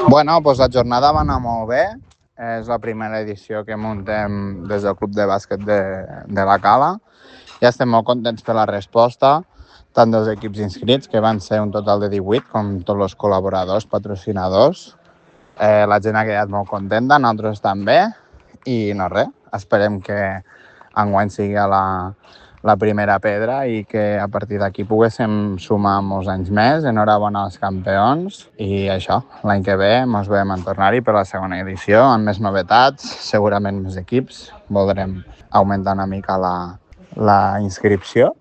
Bueno, doncs la jornada va anar molt bé. És la primera edició que muntem des del Club de Bàsquet de la Cala. Ja estem molt contents per la resposta, tant dels equips inscrits, que van ser un total de 18, com tots els col·laboradors, patrocinadors. La gent ha quedat molt contenta, nosaltres també. I no res, esperem que enguany sigui la primera pedra i que a partir d'aquí poguéssim sumar molts anys més. Enhorabona als campions i això, l'any que ve ens veiem en tornar-hi per la segona edició amb més novetats, segurament més equips. Voldrem augmentar una mica la inscripció